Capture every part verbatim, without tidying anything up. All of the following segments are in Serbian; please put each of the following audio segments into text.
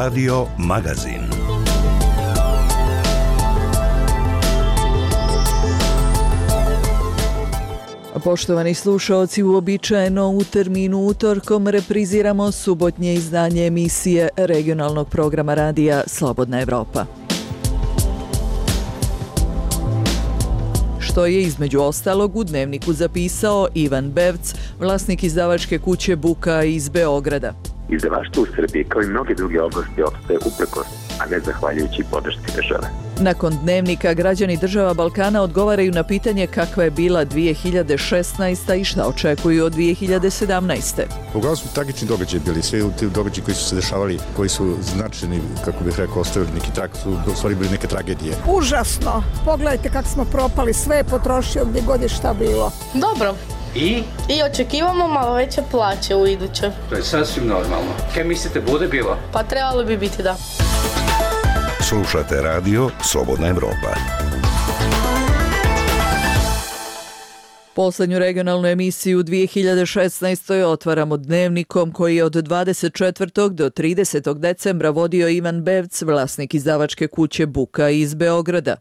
Radio Magazin. Poštovani slušaoci, uobičajeno u terminu utorkom repriziramo subotnje izdanje emisije regionalnog programa radija Slobodna Evropa. Što je između ostalog u Dnevniku zapisao Ivan Bevc, vlasnik izdavačke kuće Buka iz Beograda. Izdavaštvo u Srbiji, kao i mnoge druge oblasti, opstaje uprkos, a ne zahvaljujući podršci države. Nakon Dnevnika, građani država Balkana odgovaraju na pitanje kakva je bila dvije hiljade šesnaesta. i šta očekuju od dvije hiljade sedamnaeste. Uglavnom su tragični događaji bili, svi ti događaji koji su se dešavali, koji su značajni, kako bih rekao, ostavili neki trak, su u stvari bili neke tragedije. Užasno! Pogledajte kako smo propali, sve je potrošio gdje god je šta bilo. Dobro. I? I očekivamo malo veće plaće u iduće. To je sasvim normalno. Kaj mislite, bude bilo? Pa trebalo bi biti, da. Slušate radio Slobodna Evropa. Poslednju regionalnu emisiju u dvije hiljade šesnaestoj. otvaramo Dnevnikom koji je od dvadeset četvrtog do tridesetog decembra vodio Ivan Bevc, vlasnik izdavačke kuće Buka iz Beograda.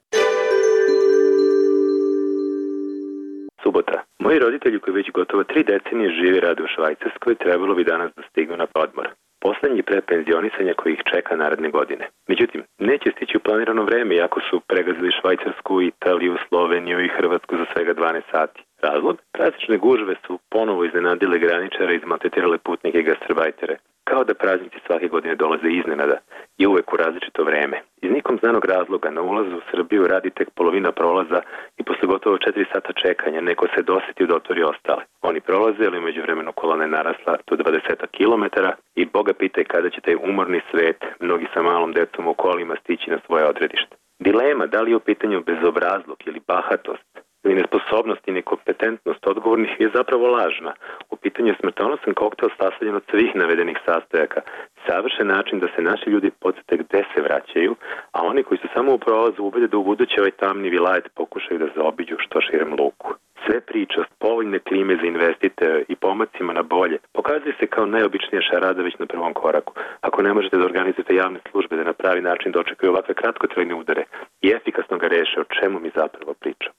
Subota. Moji roditelji koji već gotovo tri decenije žive i rade u Švajcarskoj trebalo bi danas da stignu na odmor. Poslednji pre penzionisanja koji ih čeka naredne godine. Međutim, neće stići u planirano vreme, iako su pregazili Švajcarsku, Italiju, Sloveniju i Hrvatsku za svega dvanaest sati. Razlog? Praznične gužve su ponovo iznenadile graničare i izmaltretirale putnike i gastarbajtere. Kao da praznici svake godine dolaze iznenada i uvek u različito vreme. Iz nikom znanog razloga na ulazu u Srbiju radi tek polovina prolaza i posle gotovo četiri sata čekanja neko se doseti da otvori ostale. Oni prolaze, ali umeđu vremenu kolona je narasla do dvadeset kilometara i Boga pitaj kada će taj umorni svet, mnogi sa malom decom u kolima, stići na svoje odredište. Dilema da li je u pitanju bezobrazluk ili bahatost ili nesposobnost i nekompetentnost odgovornih je zapravo lažna. U pitanju je smrtonosan koktel sastavljen od svih navedenih sastojaka. Savršen način da se naši ljudi podsjete gde se vraćaju, a oni koji su samo u prolazu ubede da u buduće ovaj tamni vilajet pokušaju da zaobiđu što širem luku. Sve priče o povoljne klime za investitore i pomacima na bolje pokazuje se kao najobičnija šarada već na prvom koraku. Ako ne možete da organizujete javne službe da na pravi način dočekaju ovakve kratkotrajne udare i efikasno ga reše, o čemu mi zapravo pričam.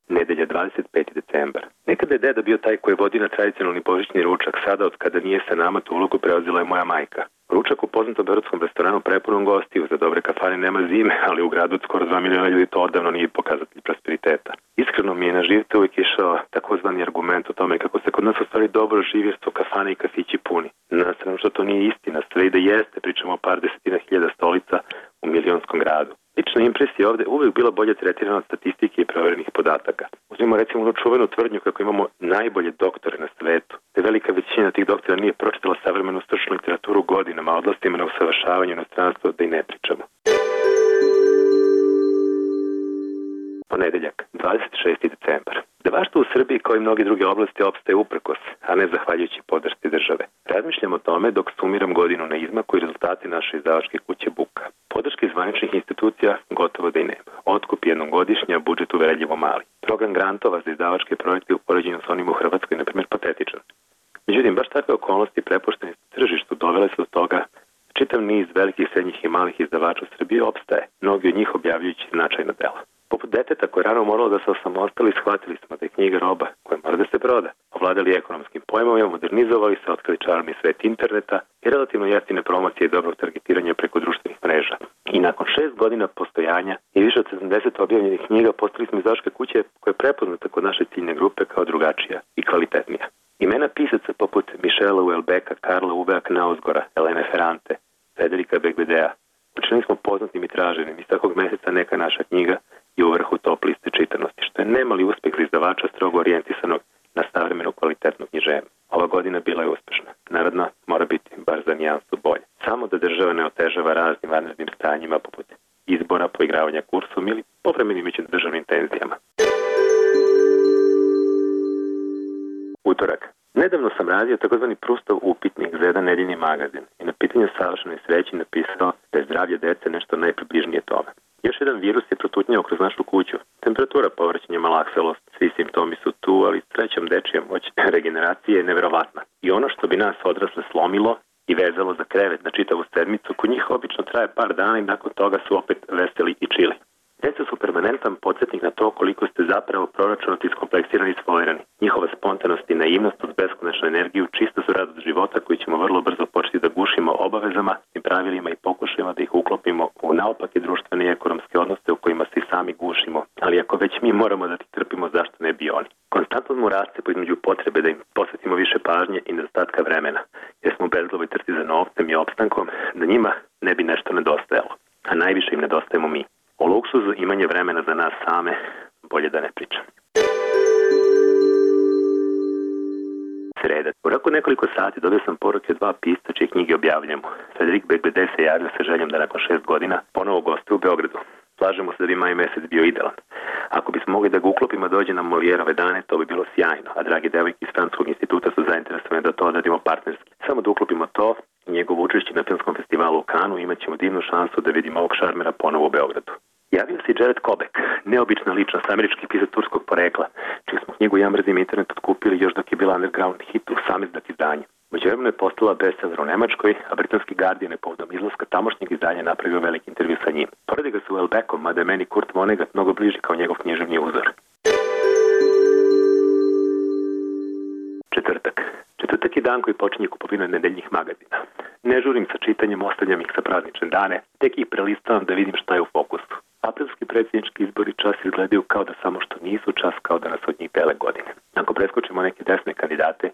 Nedelja, dvadeset peti decembar. Nekada je deda bio taj koji vodi na tradicionalni božićni ručak, sada od kada nije sa nama tu ulogu preuzela je moja majka. Ručak u poznatom beogradskom restoranu prepunom gostiju, za dobre kafane nema zime, ali u gradu od skoro dva miliona ljudi to odavno nije pokazatelj prosperiteta. Iskreno mi je na živce uvijek išao takozvani argument o tome kako se kod nas u stvari dobro živi jer su kafane i kafići puni. Na stranu što to nije istina, sve i da jeste, pričamo o par desetina hiljada stolica u milionskom gradu. Lična impresija ovde uvijek bila bolje tretirana od statistike i proverenih podataka. Uzmimo recimo onu čuvenu tvrdnju kako imamo najbolje doktore na svetu, te velika većina tih doktora nije pročitala savremenu stručnu literaturu godinama, odlastima na usavršavanju inostranstva, da i ne pričamo. Ponedeljak, dvadeset šesti decembar. Izdavaštvo u Srbiji kao i mnoge druge oblasti opstaje uprkos, a ne zahvaljujući podršci države. Razmišljam o tome dok sumiram godinu na izmaku i rezultati naše izdavačke kuće Buka. Podrške zvaničnih institucija gotovo da i nema. Otkup jednom godišnja, budžet uverljivo mali. Program grantova za izdavačke projekte u poređenju sa onim u Hrvatskoj, na primjer, patetičan. Međutim, baš takve okolnosti prepuštene tržištu dovele su do toga čitav niz velikih, srednjih i malih izdavača u Srbiji opstaje, mnogi od njih objavljujući značajna dela. Poput deteta koje je rano moralo da se osamostali, shvatili smo da je knjiga roba koja mora da se proda. Ovladali ekonomskim pojmovima, modernizovali se, otkrili čarobni svet interneta i relativno jeftine promocije i dobrog targetiranja preko društvenih mreža. I nakon šest godina postojanja i više od sedamdeset objavljenih knjiga postali smo izdavačke kuće koja je prepoznata kod naše ciljne grupe kao drugačija i kvalitetnija. Imena pisaca poput Mišela Uelbeka, Karla Ubea Knausgora, Elene Ferrante, Federika Begvedea učinili smo poznatim i traženim. Iz takvog meseca neka naša knjiga i u vrhu top liste čitanosti, što je nemali uspeh za izdavača strogo orijentisanog na savremenu kvalitetnu književnost. Ova godina bila je uspešna. Naredna mora biti bar za nijansu bolje. Samo da država ne otežava raznim vanrednim stanjima poput izbora, poigravanja kursom ili povremenim međudržavnim tenzijama. Utorak. Nedavno sam radio takozvani Prustov upitnik za jedan nedeljni magazin i na pitanju savršenoj sreći napisao da je zdravlje dece nešto najpribližnije tome. Još jedan virus je protutnjao kroz našu kuću. Temperatura, povrćenje, malakselost, svi simptomi su tu, ali srećom dečija moć regeneracije je neverovatna. I ono što bi nas odrasle slomilo i vezalo za krevet na čitavu sedmicu, kod njih obično traje par dana i nakon toga su opet veseli i čili. Deca su permanentan podsjetnik na to koliko ste zapravo proračunati, iskompleksirani i sfolirani. Njihova spontanost i naivnost uz beskonačnu energiju čista su radost života koju ćemo vrlo brzo početi da gušimo obavezama i pravilima i pokušajima da ih uklopimo u naopake društvene i ekonomske odnose u kojima se i sami gušimo. Ali ako već mi moramo da ti trpimo, zašto ne bi oni? Konstantno mu raste između potrebe da im posvetimo više pažnje i nedostatka vremena, jer smo u bezglavoj trci za novcem i opstankom, da njima ne bi nešto nedostajalo, a najviše im nedostajemo mi. O luksuzu imanje vremena za nas same, bolje da ne pričam. Sreda. U roku nekoliko sati dobio sam poruke dva pisca čije knjige objavljamo. Federik Begbede se javio sa željom da nakon šest godina ponovo gostuje u Beogradu. Slažemo se da bi maj mesec bio idealan. Ako bismo mogli da ga uklopimo dođe na Molijerove dane, to bi bilo sjajno, a dragi devojke iz Francuskog instituta su zainteresovane da to odradimo partnerski. Samo da uklopimo to i njegovo učešće na filmskom festivalu u Kanu, imat ćemo divnu šansu da vidimo ovog šarmera ponovo u Beogradu. Javio se i Jared Kobek, neobična ličnost, američki pisac turskog porekla, čiju smo knjigu Ja mrzim internet otkupili još dok je bila underground hit u samizdat izdanje. Međuvremeno je postala bestseller u Nemačkoj, a britanski Guardian je povodom izlaska tamošnjeg izdanja napravio veliki intervju sa njim. Poredi ga sa Welbeckom, mada je meni Kurt Vonnegut mnogo bliži kao njegov književni uzor. Četvrtak. Četvrtak je dan koji počinje kupovinom nedeljnih magazina. Ne žurim sa čitanjem, ostavljam ih sa praznične dane, tek ih prelistavam da vidim šta je u fokusu. Aprilski predsjednički izbori čas izgledaju kao da samo što nisu, čas kao da nas od njih dele godine. Ako preskočimo neke desne kandidate,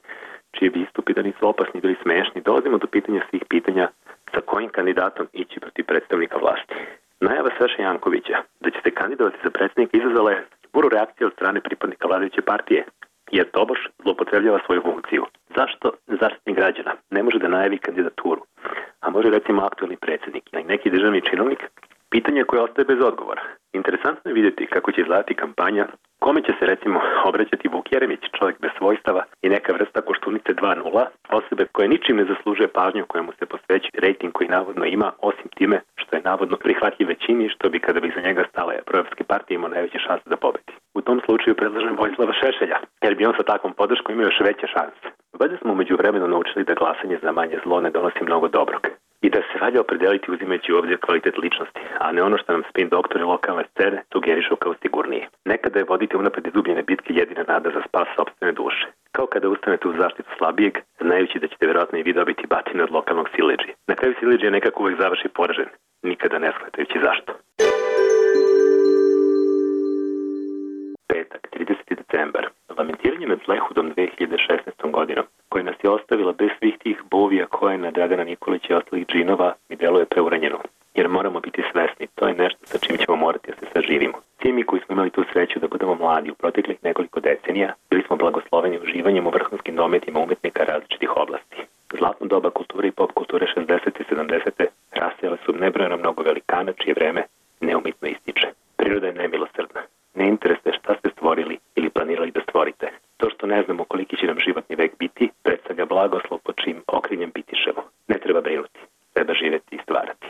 čiji bi istupi da nisu opasni bili smešni, dolazimo do pitanja svih pitanja sa kojim kandidatom ići protiv predstavnika vlasti. Najava Saše Jankovića da će se kandidovati za predsjednika izazvala je buru reakcije od strane pripadnika vladajuće partije, jer tobož zloupotrebljava svoju funkciju. Zašto Zaštitnik građana ne može da najavi kandidaturu, a može recimo aktuelni predsjednik ili neki državni činovnik? Pitanje koje ostaje bez odgovora. Interesantno je vidjeti kako će izgledati kampanja, kome će se recimo obraćati Vuk Jeremić, čovjek bez svojstava i neka vrsta Koštunice dva nula, osobe koje ničim ne zaslužuje pažnju kojemu se posveći rejting koji navodno ima, osim time što je navodno prihvatljiv većini, što bi kada bi za njega stale proevropske partije imao najveće šanse da pobedi. U tom slučaju predlažem Vojislava Šešelja, jer bi on sa takvom podrškom imao još veće šanse. Valjda smo umeđu vremenu naučili da glasanje za manje zlo ne donosi mnogo dobrog. I da se valja opredeliti uzimajući u obzir kvalitet ličnosti, a ne ono što nam spin doktori lokalne scene sugerišu kao sigurnije. Nekada je voditi unapred izgubljene bitke jedina nada za spas sopstvene duše. Kao kada ustanete u zaštitu slabijeg, znajući da ćete vjerojatno i vi dobiti batine od lokalnog siledžije. Na kraju siledžija nekako uvek završi poražen, nikada ne shvatajući zašto. Petak, trideseti decembar. Lamentiranje nad Zlehudom dve hiljade šesnaestom godinom, koja nas je ostavila bez svih tih bovija Kojena, Dragana Nikolića i ostalih džinova, mi deluje preuranjeno. Jer moramo biti svesni, to je nešto sa čim ćemo morati da se saživimo. Svi mi koji smo imali tu sreću da budemo mladi u proteklih nekoliko decenija, bili smo blagosloveni uživanjem u vrhunskim dometima umetnika različitih oblasti. Zlatno doba kulture i pop kulture šezdesete i sedamdesete rasijale su nebrojeno mnogo velikana čije vreme neumitno ističe. Priroda je nemilosrdna. Ne interesuje šta ste stvorili ili planirali da stvorite. To što ne znamo koliki će nam životni vek biti, predstavlja blagoslov pod čim okriljem bitišemo. Ne treba brinuti, treba živjeti i stvarati.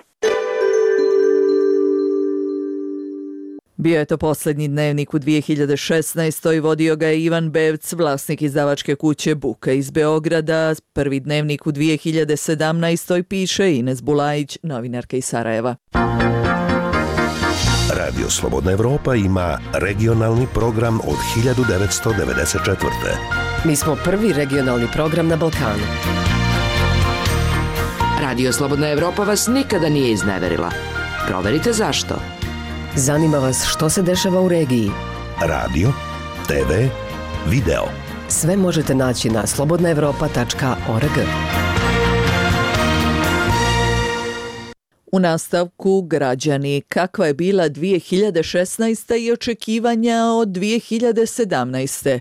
Bio je to posljednji dnevnik u dvije hiljade šesnaestoj. Vodio ga je Ivan Bevc, vlasnik izdavačke kuće Buka iz Beograda. Prvi dnevnik u dvije hiljade sedamnaestoj piše Ines Bulajić, novinarka iz Sarajeva. Radio Slobodna Evropa ima regionalni program od hiljadu devetsto devedeset četvrte. Mi smo prvi regionalni program na Balkanu. Radio Slobodna Evropa vas nikada nije izneverila. Proverite zašto. Zanima vas što se dešava u regiji. Radio, te ve, video. Sve možete naći na slobodna evropa tačka org. U nastavku građani, kakva je bila dvije hiljade šesnaesta. i očekivanja od dvije hiljade sedamnaeste.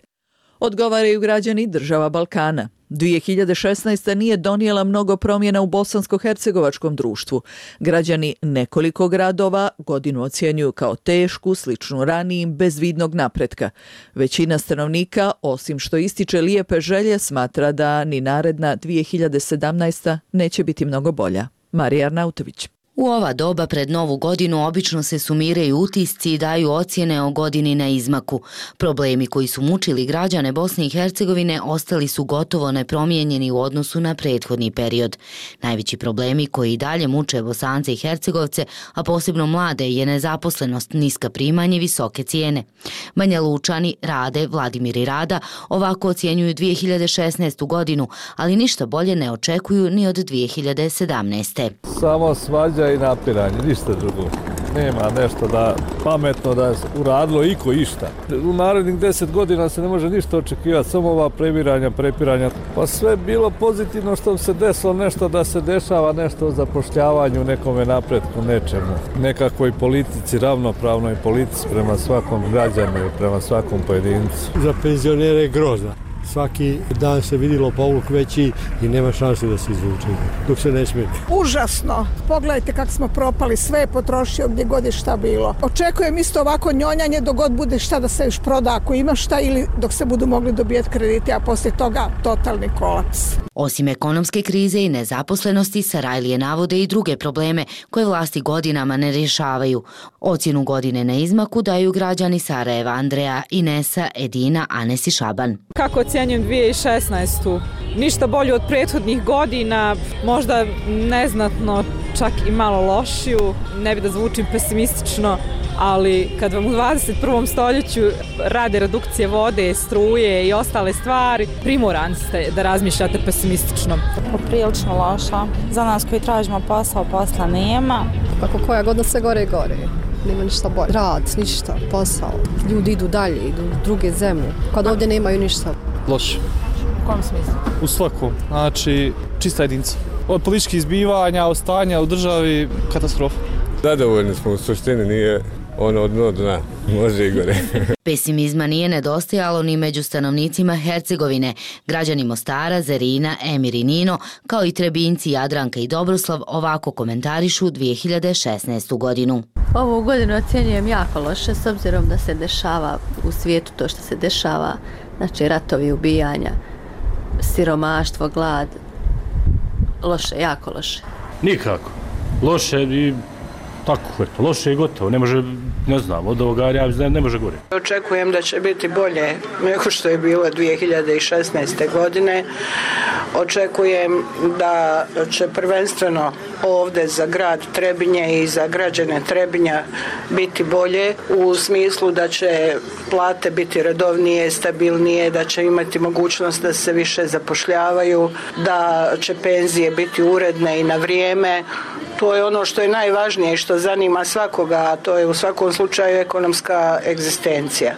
Odgovaraju građani država Balkana. dvije hiljade šesnaesta. nije donijela mnogo promjena u bosansko-hercegovačkom društvu. Građani nekoliko gradova godinu ocjenjuju kao tešku, sličnu ranijim, bez vidnog napretka. Većina stanovnika, osim što ističe lijepe želje, smatra da ni naredna dvije hiljade sedamnaesta. neće biti mnogo bolja. Marija Arnautović. U ova doba pred Novu godinu obično se sumiraju utisci i daju ocjene o godini na izmaku. Problemi koji su mučili građane Bosne i Hercegovine ostali su gotovo nepromijenjeni u odnosu na prethodni period. Najveći problemi koji i dalje muče Bosance i Hercegovce, a posebno mlade, je nezaposlenost, niska primanja i visoke cijene. Banja Lučani, Rade, Vladimir i Rada ovako ocjenjuju dvije hiljade šesnaestu godinu, ali ništa bolje ne očekuju ni od dvije hiljade sedamnaeste. Samo svađa i napiranje, ništa drugo. Nema nešto da pametno da je uradilo iko išta. U narednih deset godina se ne može ništa očekivati, samo ova previranja, prepiranja. Pa sve bilo pozitivno što se desilo, nešto da se dešava, nešto o zapošljavanju, nekome napretku, nečemu. Nekakvoj politici, ravnopravnoj politici prema svakom građanu i prema svakom pojedincu. Za penzionere je grozna. Svaki dan se vidilo povuk veći i nema šanse da se izvuče, dok se ne smije. Užasno. Pogledajte kako smo propali, sve je potrošio gdje god je šta bilo. Očekujem isto ovako njonjanje dok god bude šta da se još proda ako ima šta ili dok se budu mogli dobijeti kredite, a poslije toga totalni kolaps. Osim ekonomske krize i nezaposlenosti, Sarajlije navode i druge probleme koje vlasti godinama ne rješavaju. Ocjenu godine na izmaku daju građani Sarajeva, Andreja, Inesa, Edina, Anes i Šaban. Kako ocjenjujem dvije hiljade šesnaestu? Ništa bolje od prethodnih godina, možda neznatno, čak i malo lošiju. Ne bi da zvučim pesimistično, ali kad vam u dvadeset prvom stoljeću rade redukcije vode, struje i ostale stvari, primorani ste da razmišljate pesimistično. Poprilično loša. Za nas koji tražimo posao, posla nema. Kako koja godina se gore i gore. Nema ništa bolje. Rad, ništa, posao. Ljudi idu dalje, idu u druge zemlje. Kad ovdje nemaju ništa. Loše. U kom smislu? U svakom. Znači, čista jedinca. Od političkih izbivanja, od stanja u državi, katastrofa. Zadovoljni smo, u suštini nije ono od dno dna. Može i gore. Pesimizma nije nedostajalo ni među stanovnicima Hercegovine. Građani Mostara, Zerina, Emir i Nino, kao i Trebinci, Jadranka i Dobroslav ovako komentarišu dvije hiljade šesnaestu godinu. Ovu godinu ocjenjujem jako loše s obzirom da se dešava u svijetu to što se dešava, znači ratovi, ubijanja, siromaštvo, glad. Loše, jako loše. Nikako. Loše i tako, eto, loše i gotovo. Ne može, ne znam, od ovoga ja ne, ne može gore. Očekujem da će biti bolje nego što je bilo dvije hiljade šesnaeste godine. Očekujem da će prvenstveno ovdje za grad Trebinje i za građane Trebinja biti bolje u smislu da će plate biti redovnije, stabilnije, da će imati mogućnost da se više zapošljavaju, da će penzije biti uredne i na vrijeme. To je ono što je najvažnije i što zanima svakoga, a to je u svakom slučaju ekonomska egzistencija.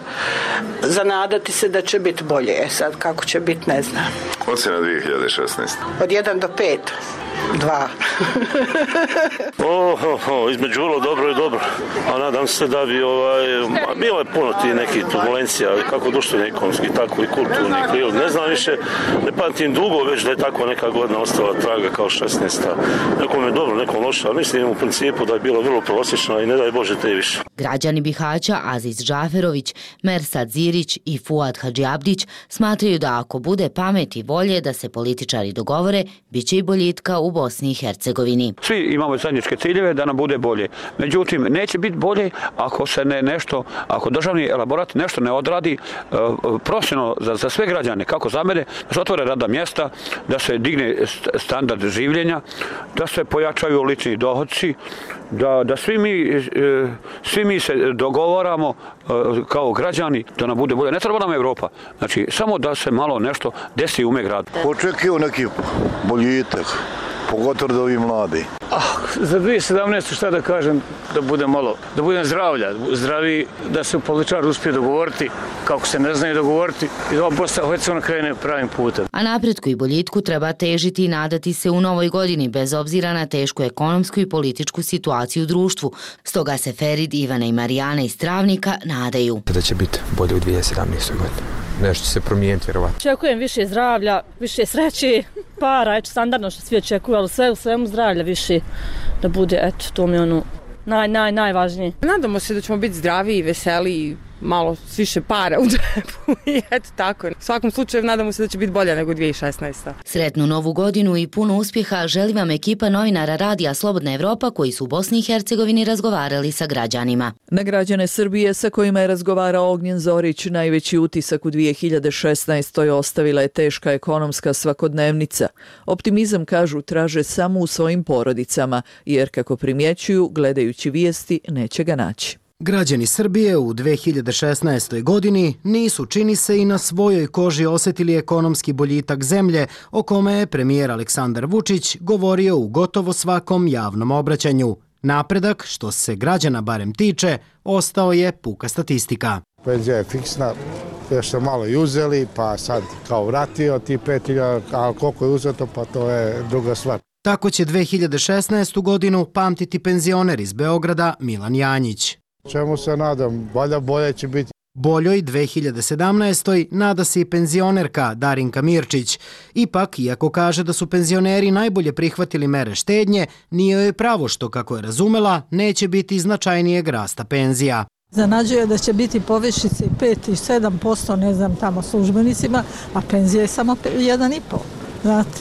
Zanadati se da će biti bolje, sad kako će biti ne znam. Ocjena dvije hiljade šesnaeste. Od jedan do pet. Dva. oh, oh, oh, između vrlo dobro i dobro. A nadam se da bi ovaj, bilo je puno ti nekih turbulencija, kako društveni, ekonomski, tako i kulturni. Ne znam više, ne pamtim dugo već da je tako neka godina ostala traga kao šesnaesta. Nekom je dobro, nekom loša, ali mislim u principu da je bilo vrlo prosječno i ne daj Bože te više. Građani Bihaća Aziz Džaferović, Mersad Zirić i Fuad Hadžiabdić smatraju da ako bude pamet i volje da se političari dogovore, bit će i boljitka u Bosni i Hercegovini. Svi imamo zajedničke ciljeve da nam bude bolje. Međutim, neće biti bolje ako se ne nešto, ako državni elaborat nešto ne odradi uh, profesionalno za, za sve građane, kako za mene, da se otvore radna mjesta, da se digne standard življenja, da se pojačaju lični dohodci, da, da svi mi, uh, svi mi se dogovaramo uh, kao građani da nam bude bolje. Ne treba nam Evropa. Znači, samo da se malo nešto desi u gradu. Očekio neki boljitak. Pogotovo da ovi mladi. Ah, za dvije hiljade sedamnaeste šta da kažem, da bude malo, da budem zdravlja, zdravi, da se političari uspije dogovoriti, kako se ne znaju dogovoriti, i da ova Bosna i Hercegovina krene pravim putem. A napretku i boljitku treba težiti i nadati se u novoj godini, bez obzira na tešku ekonomsku i političku situaciju u društvu. Stoga se Ferid, Ivana i Marijana iz Travnika nadaju da će biti bolje u dvije hiljade sedamnaestoj godini. Nešto će se promijeniti, vjerovatno. Očekujem više zdravlja, više sreće, para, eto, standardno što svi očekuju, ali sve u svemu zdravlja više da bude, eto, to mi je ono naj, naj, najvažnije. Nadamo se da ćemo biti zdravi i veseli, malo više para u džepu i eto tako. U svakom slučaju nadamo se da će biti bolja nego dvije hiljade šesnaesta. Sretnu novu godinu i puno uspjeha želi vam ekipa novinara Radija Slobodna Evropa koji su u Bosni i Hercegovini razgovarali sa građanima. Na građane Srbije sa kojima je razgovarao Ognjen Zorić, najveći utisak u dvije hiljade šesnaestoj ostavila je teška ekonomska svakodnevnica. Optimizam, kažu, traže samo u svojim porodicama, jer kako primjećuju, gledajući vijesti, neće ga naći. Građani Srbije u dve hiljade šesnaestoj godini nisu, čini se, i na svojoj koži osjetili ekonomski boljitak zemlje o kome je premijer Aleksandar Vučić govorio u gotovo svakom javnom obraćanju. Napredak, što se građana barem tiče, ostao je puka statistika. Penzija je fiksna, još ste malo i uzeli, pa sad kao vratio ti pet hiljada, a koliko je uzeto, pa to je druga stvar. Tako će dve hiljade šesnaestu godinu pamtiti penzioner iz Beograda Milan Janjić. Čemu se nadam, valjda bolje će biti. Boljoj dve hiljade sedamnaestoj nada se i penzionerka Darinka Mirčić. Ipak, iako kaže da su penzioneri najbolje prihvatili mere štednje, nije joj pravo što, kako je razumela, neće biti značajnijeg rasta penzija. Zanađuje da će biti povišice i pet i sedam posto, ne znam, tamo službenicima, a penzija je samo jedan i pol. Znate,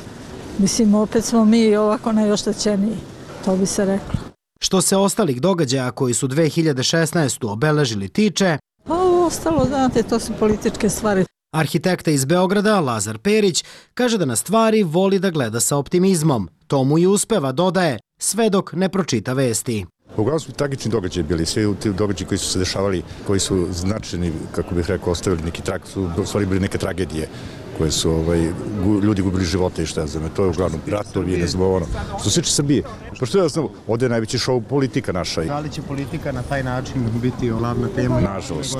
mislim, opet smo mi ovako najoštećeniji, to bi se reklo. Što se ostalih događaja koji su dve hiljade šesnaestu obeležili tiče, pa ovo ostalo, znate, to su političke stvari. Arhitekta iz Beograda, Lazar Perić, kaže da na stvari voli da gleda sa optimizmom. To mu i uspeva, dodaje, sve dok ne pročita vesti. Uglavnom su tragični događaji bili, svi ti događaji koji su se dešavali, koji su značajni, kako bih rekao, ostavili neki trag, su u stvari bili neke tragedije koje su ovaj, ljudi gubili živote i šta znam, to je uglavnom ratovi, ne znam ono. Što se tiče Srbije, pošto je jasno, ovdje je najveći šou politika naša. Da li će politika na taj način biti glavna tema? Nažalost,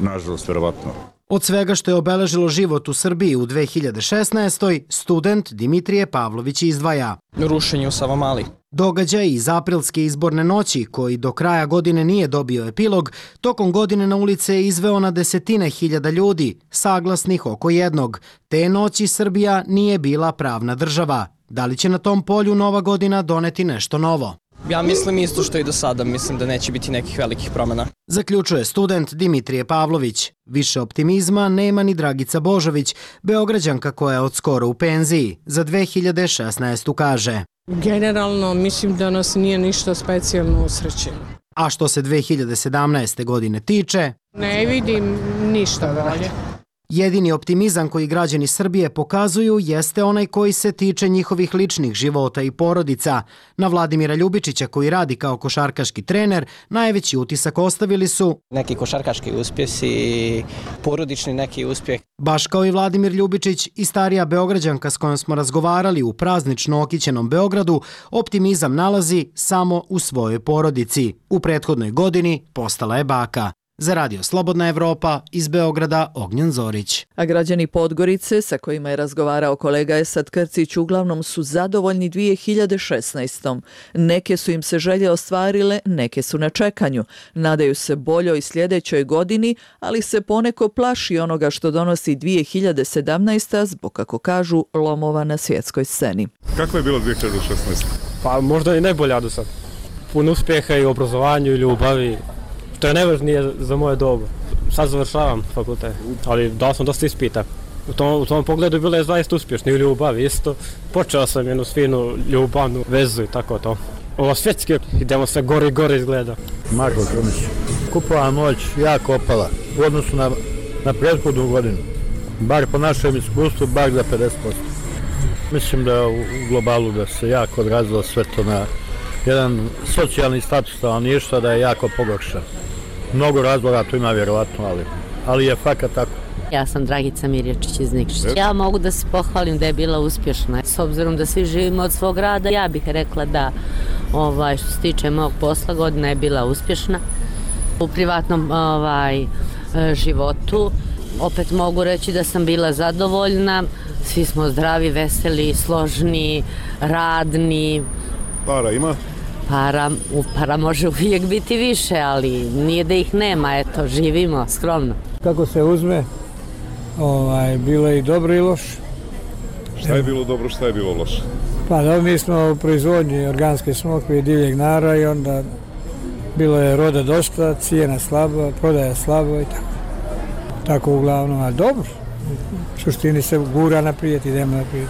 nažalost, verovatno. Od svega što je obeležilo život u Srbiji u dve hiljade šesnaestoj, student Dimitrije Pavlović izdvaja rušenje u Savamali. Događaj iz aprilske izborne noći, koji do kraja godine nije dobio epilog, tokom godine na ulice je izveo na desetine hiljada ljudi, saglasnih oko jednog. Te noći Srbija nije bila pravna država. Da li će na tom polju nova godina doneti nešto novo? Ja mislim isto što i do sada, mislim da neće biti nekih velikih promjena. Zaključuje student Dimitrije Pavlović. Više optimizma nema ni Dragica Božović, Beograđanka koja je od skoro u penziji. Za dve hiljade šesnaestu kaže: Generalno mislim da nas nije ništa specijalno usrećeno. A što se dve hiljade sedamnaeste godine tiče, ne vidim ništa bolje. Jedini optimizam koji građani Srbije pokazuju jeste onaj koji se tiče njihovih ličnih života i porodica. Na Vladimira Ljubičića, koji radi kao košarkaški trener, najveći utisak ostavili su neki košarkaški uspjesi, porodični neki uspjeh. Baš kao i Vladimir Ljubičić i starija Beograđanka s kojom smo razgovarali u praznično okićenom Beogradu, optimizam nalazi samo u svojoj porodici. U prethodnoj godini postala je baka. Za Radio Slobodna Evropa, iz Beograda, Ognjen Zorić. A građani Podgorice, sa kojima je razgovarao kolega Esad Krcić, uglavnom su zadovoljni dvije hiljade šesnaestom. Neke su im se želje ostvarile, neke su na čekanju. Nadaju se boljoj sljedećoj godini, ali se poneko plaši onoga što donosi dvije hiljade sedamnaesta zbog, kako kažu, lomova na svjetskoj sceni. Kako je bilo dvije hiljade šesnaesta? Pa možda i najbolja do sad. Puno uspjeha i u obrazovanju i ljubavi. To je najvažnije za moje dobu. Sad završavam fakultet, ali dao sam dosta ispita. U tom, u tom pogledu bilo je zaista uspješno i u ljubavi isto. Počeo sam jednu finu ljubavnu vezu i tako to. Ovo svjetske, idemo sve gore i gore izgleda. Marko Krumić. Kupovna moć jako opala u odnosu na, na prethodnu godinu. Bar po našem iskustvu, bar za pedeset posto. Mislim da u globalu da se jako odrazilo sve to na jedan socijalni status stanovništva, da je jako pogoršan. Mnogo razloga tu ima vjerovatno, ali, ali je fakat tako. Ja sam Dragica Mirjačić iz Nikšića. Ja mogu da se pohvalim da je bila uspješna. S obzirom da svi živimo od svog rada, ja bih rekla da ovaj, što se tiče mog posla, godina je bila uspješna. U privatnom ovaj, životu opet mogu reći da sam bila zadovoljna. Svi smo zdravi, veseli, složni, radni. Para ima? Para, para može uvijek biti više, ali nije da ih nema, eto, živimo skromno. Kako se uzme, ovaj, bilo je i dobro i loše. Šta je bilo dobro, šta je bilo loše? Pa da, mi smo u proizvodnji organske smokve i divljeg nara i onda bilo je roda dosta, cijena slaba, prodaja slabo i tako. tako uglavnom, a dobro. U suštini se gura naprijed, idemo naprijed.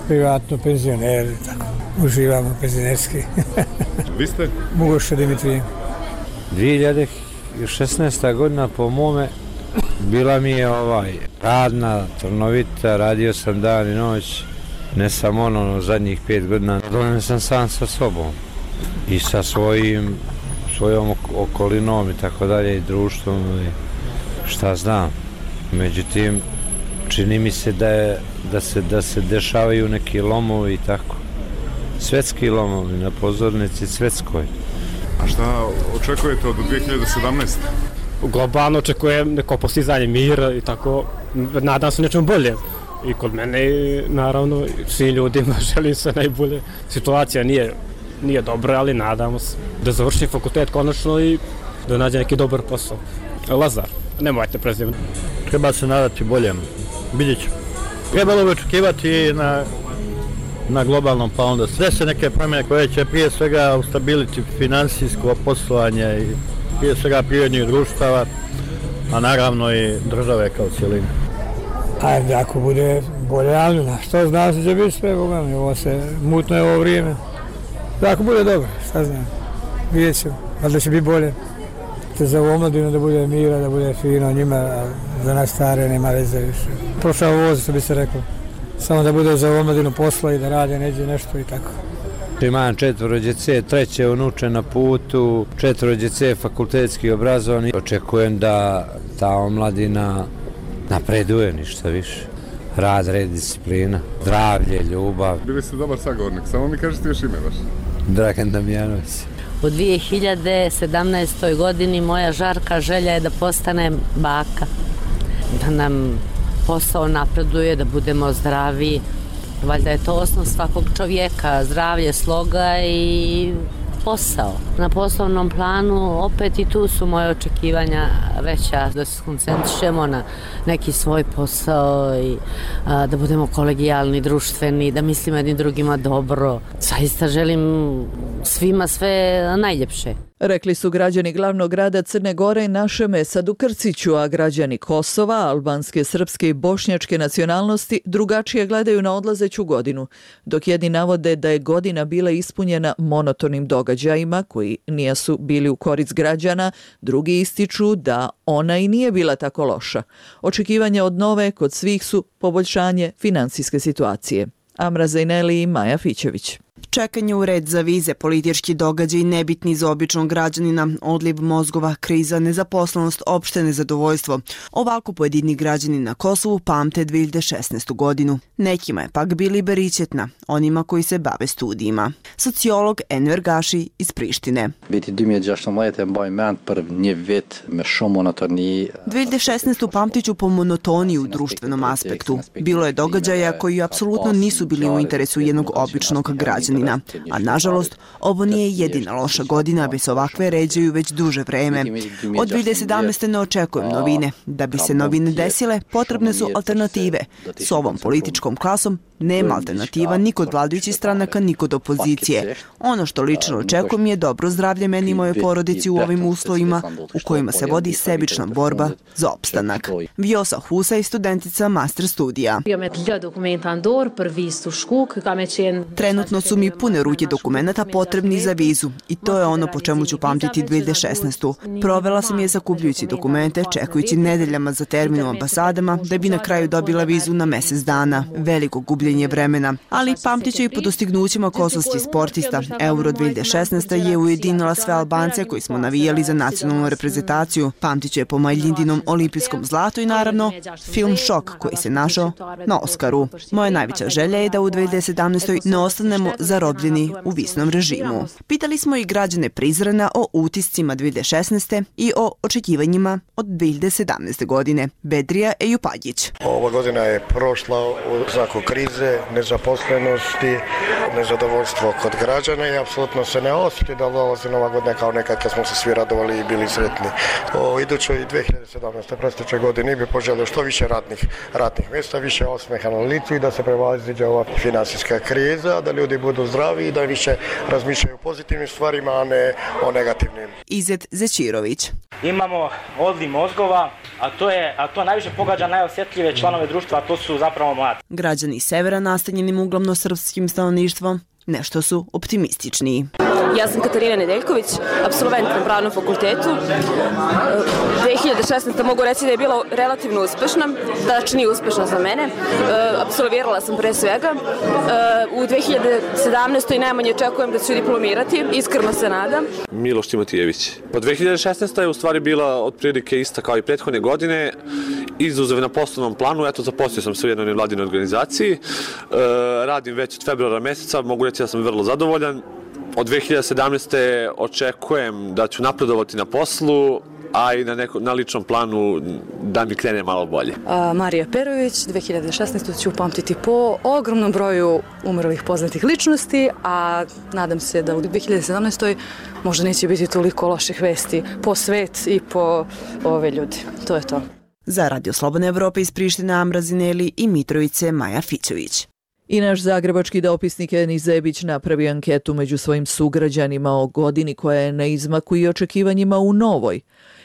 Privatno, penzioneri, tako. Uživamo penzionerski. Vi ste? Mugoša Dimitrije. dvije hiljade šesnaesta godina po mome bila mi je ovaj radna, trnovita, radio sam dan i noć, ne samo ono zadnjih pet godina, dovoljno sam sam sa sobom i sa svojim, svojom okolinom i tako dalje i društvom i šta znam. Međutim, čini mi se da, je, da, se, da se dešavaju neki lomovi i tako. Svetski lomovi na pozornici svetskoj. A šta očekujete od dvije hiljade sedamnaeste? Globalno očekujem neko postizanje mira i tako, nadam se nečemu bolje. I kod mene, naravno, svim ljudima želim sve najbolje. Situacija nije, nije dobra, ali nadamo se da završim fakultet konačno i da nađe neki dobar posao. Lazar, nemojte prezivno. Treba se nadati boljem, vidjet ću. Trebalo bi očekivati na, na globalnom planu da sve se neke promjene koje će prije svega ustabiliti finansijsko poslovanje i prije svega prirodnih društava, a naravno i države kao cijeline. Ajde, ako bude bolje, ali na što znam se će biti sve, Boga mi, ovo se mutno je ovo vrijeme. Ako bude dobro, šta znam, vidjet ću, ali da će biti bolje. Te za omladinu da bude mira, da bude fino njima, a za nas stare nema veze više. Prošao voz, što bi se rekao, samo da bude za omladinu posla i da rade neđe nešto i tako. Imam četvoro djece, treće unuče na putu, četvoro djece fakultetski obrazovani. Očekujem da ta omladina napreduje ništa više. Rad, red, disciplina, zdravlje, ljubav. Bili ste dobar sagovornik, samo mi kažete još ime vaš. Dragan Damjanović. U dvije hiljade sedamnaestoj godini moja žarka želja je da postanem baka. Da nam posao napreduje, da budemo zdravi. Valjda je to osnov svakog čovjeka, zdravlje, sloga i posao. Na poslovnom planu opet i tu su moje očekivanja veća, da se koncentrišemo na neki svoj posao i a, da budemo kolegijalni, društveni, da mislimo jednim drugima dobro. Zaista želim svima sve najljepše. Rekli su građani glavnog grada Crne Gore Našem Esadu Krciću, a građani Kosova, albanske, srpske i bošnjačke nacionalnosti drugačije gledaju na odlazeću godinu, dok jedni navode da je godina bila ispunjena monotonim događajima koji nisu bili u korist građana, drugi ističu da ona i nije bila tako loša. Očekivanja od nove kod svih su poboljšanje finansijske situacije. Amra Zajneli i Maja Fićević. Čekanje u red za vize, politički događaj nebitni za običnog građanina, odliv mozgova, kriza, nezaposlenost, opšte nezadovoljstvo. Ovako pojedini građani na Kosovu pamte dvije hiljade šesnaestu godinu. Nekima je pak bili beričetna, onima koji se bave studijima. Sociolog Enver Gaši iz Prištine. dvije hiljade šesnaestu pamtiću po monotoniji u društvenom aspektu. Bilo je događaja koji apsolutno nisu bili u interesu jednog običnog građanina. A nažalost, ovo nije jedina loša godina, bez ovakve ređaju već duže vreme. Od dvije hiljade sedamnaeste ne očekujem novine. Da bi se novine desile, potrebne su alternative. S ovom političkom klasom nema alternativa ni kod vladajućih stranaka, ni kod opozicije. Ono što lično očekujem je dobro zdravlje meni i moje porodici u ovim uslovima u kojima se vodi sebična borba za opstanak. Vjosa Husa je studentica master studija. Trenutno su mi pune ruke dokumenata potrebni za vizu i to je ono po čemu ću pamtiti dvije hiljade šesnaestu. Provela sam je sakupljujući dokumente, čekujući nedeljama za termin u ambasadama, da bi na kraju dobila vizu na mesec dana. Veliko gubljenje vremena. Ali pamtit ću i po dostignućima kosovskih sportista. Euro dvije hiljade šesnaeste je ujedinila sve Albance koji smo navijali za nacionalnu reprezentaciju. Pamtit ću je po Majljidinom olimpijskom zlatu i naravno film Šok koji se našao na Oskaru. Moja najveća želja je da u dvije hiljade sedamnaestoj ne ostanemo zarobljeni u visnom režimu. Pitali smo i građane Prizrena o utiscima dvije hiljade šesnaeste i o očekivanjima od dvije hiljade sedamnaeste godine. Bedrija Ejupadjić. Ova godina je prošla u znaku krize, nezaposlenosti, nezadovoljstvo kod građana i apsolutno se ne osjeti da dolazi Nova godina kao nekad kad smo se svi radovali i bili sretni. O idućoj dvije hiljade sedamnaeste predstojećoj godini bi poželio što više radnih, radnih mjesta, više osmeha na licu i da se prevaziđe ova financijska kriza, da ljudi budu zdravi i da više razmišljaju o pozitivnim stvarima, a ne o negativnim. Izet Zećirović. Imamo odliv mozgova, a to je a to najviše pogađa najosjetljive članove društva, a to su zapravo mladi. Građani severa nastanjenim uglavnom srpskim stanovništvom nešto su optimističniji. Ja sam Katarina Nedeljković, apsolvent na Pravnom fakultetu. dvije hiljade šesnaeste. mogu reći da je bila relativno uspešna, znači nije uspešna za mene. Apsolvirala sam pre svega. U dvije hiljade sedamnaestoj. najmanje očekujem da ću diplomirati, iskreno se nadam. Miloš Timotijević. Pa dvije hiljade šesnaesta. je u stvari bila otprilike ista kao i prethodne godine. Izuzev na poslovnom planu, eto zaposlio sam se u jednoj nevladinoj organizaciji. E, radim već od februara meseca, mogu reći da sam vrlo zadovoljan. Od dvije hiljade sedamnaeste. očekujem da ću napredovati na poslu, a i na, neko, na ličnom planu da mi krene malo bolje. A, Marija Perović, dvije hiljade šesnaeste. ću upamtiti po ogromnom broju umrlih poznatih ličnosti, a nadam se da u dvije hiljade sedamnaestoj. možda neće biti toliko loših vesti po svet i po ove ljudi. To je to. Za Radio Slobodne Evrope iz Prištine, Amra Zineli i Mitrovice, Maja Fićović. I naš zagrebački dopisnik Eni Zebić napravi anketu među svojim sugrađanima o godini koja je na izmaku i očekivanjima u novoj.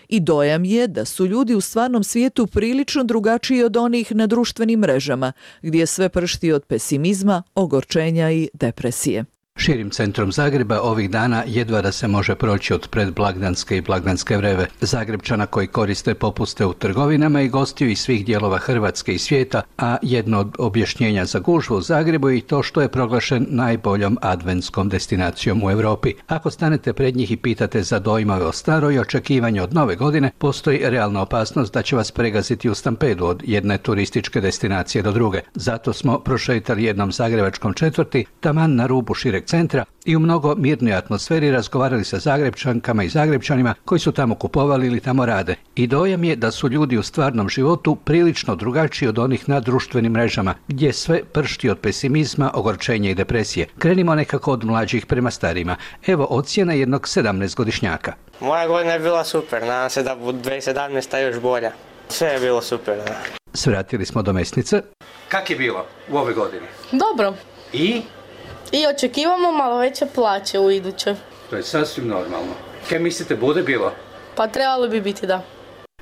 I dojam je da su ljudi u stvarnom svijetu prilično drugačiji od onih na društvenim mrežama, gdje sve pršti od pesimizma, ogorčenja i depresije. Širim centrom Zagreba ovih dana jedva da se može proći od predblagdanske i blagdanske vreve. Zagrebčana koji koriste popuste u trgovinama i gostiju iz svih dijelova Hrvatske i svijeta, a jedno od objašnjenja za gužvu u Zagrebu je i to što je proglašen najboljom adventskom destinacijom u Europi. Ako stanete pred njih i pitate za dojmove o staroj i očekivanje od nove godine, postoji realna opasnost da će vas pregaziti u stampedu od jedne turističke destinacije do druge. Zato smo prošetali jednom zagrebačkom četvrti, taman na rubu šireg centra i u mnogo mirnoj atmosferi razgovarali sa Zagrebčankama i Zagrebčanima koji su tamo kupovali ili tamo rade. I dojam je da su ljudi u stvarnom životu prilično drugačiji od onih na društvenim mrežama, gdje sve pršti od pesimizma, ogorčenja i depresije. Krenimo nekako od mlađih prema starima. Evo ocjena jednog sedamnaestogodišnjaka. Moja godina je bila super, nadam se da bude dvije hiljade sedamnaesta. još bolja. Sve je bilo super. Da. Svratili smo do mesnice. Kak je bilo u ove godine? Dobro. I? I očekivamo malo veće plaće u idućoj. To je sasvim normalno. Kaj mislite, bude bilo? Pa trebalo bi biti, da.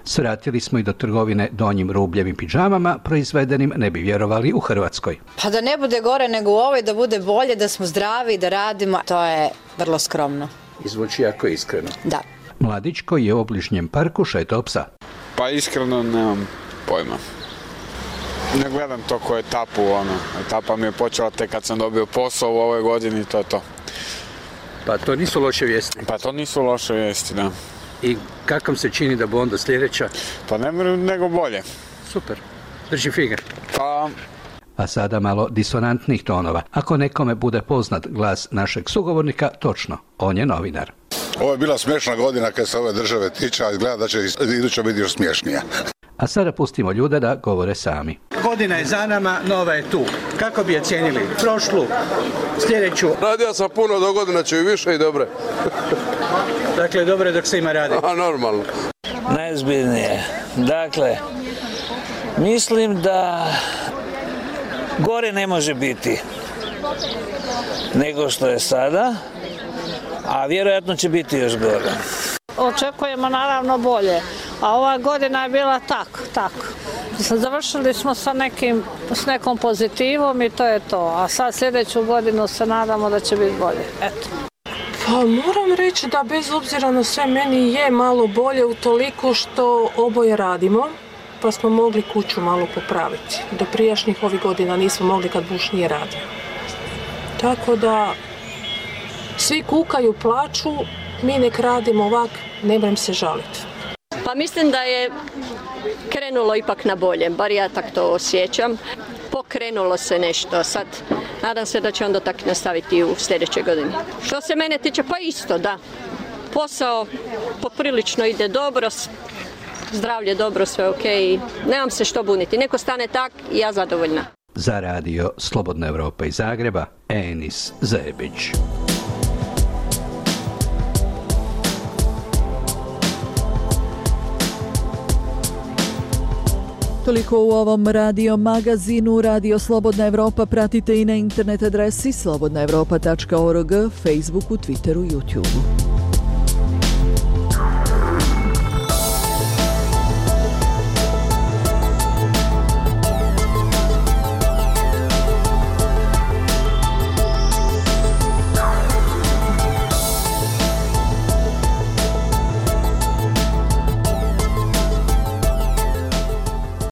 Svratili smo i do trgovine donjim rubljevim pidžamama, proizvedenim, ne bi vjerovali, u Hrvatskoj. Pa da ne bude gore nego u ovoj, da bude bolje, da smo zdravi, da radimo, to je vrlo skromno. I zvuči jako iskreno. Da. Mladić koji je u obližnjem parku šetao psa. Pa iskreno nemam pojma. Ne gledam to ko etapu, ono. Etapa mi je počela tek kad sam dobio posao u ovoj godini, to je to. Pa to nisu loše vijesti? Pa to nisu loše vijesti, da. I kako se čini da bo onda sljedeća? Pa ne nego bolje. Super, drži figa. Pa... A sada malo disonantnih tonova. Ako nekome bude poznat glas našeg sugovornika, točno, on je novinar. Ovo je bila smiješna godina kad se ove države tiče, a izgleda da će iduća biti još smiješnija. A sada pustimo ljude da govore sami. Godina je za nama, nova je tu. Kako bi je cijenili? Prošlu, sljedeću? Radio sam puno, do godina će i više i dobre. Dakle, dobro je dok se ima radi. A, normalno. Najzbiljnije. Dakle, mislim da gore ne može biti nego što je sada, a vjerojatno će biti još gore. Očekujemo naravno bolje, a ova godina je bila tak, tak. Završili smo sa, nekim, s nekom pozitivom i to je to, a sad sljedeću godinu se nadamo da će biti bolje. Eto. Pa moram reći da bez obzira na sve meni je malo bolje utoliko što oboje radimo, pa smo mogli kuću malo popraviti. Do prijašnjih ovih godina nismo mogli kad muž nije radio. Tako da svi kukaju, plaču, mi nek radimo ovak, ne brem se žaliti. Pa mislim da je krenulo ipak na bolje, bar ja tak to osjećam. Pokrenulo se nešto, sad nadam se da će onda tak nastaviti u sljedećoj godini. Što se mene tiče, pa isto, da. Posao poprilično ide dobro, zdravlje dobro, sve ok, nemam se što buniti. Neko stane tak i ja zadovoljna. Za radio Slobodna Evropa iz Zagreba, Enis Zebić. Toliko u ovom radio magazinu. Radio Slobodna Evropa pratite i na internet adresi slobodna evropa tačka org, Facebooku, Twitteru, YouTubeu.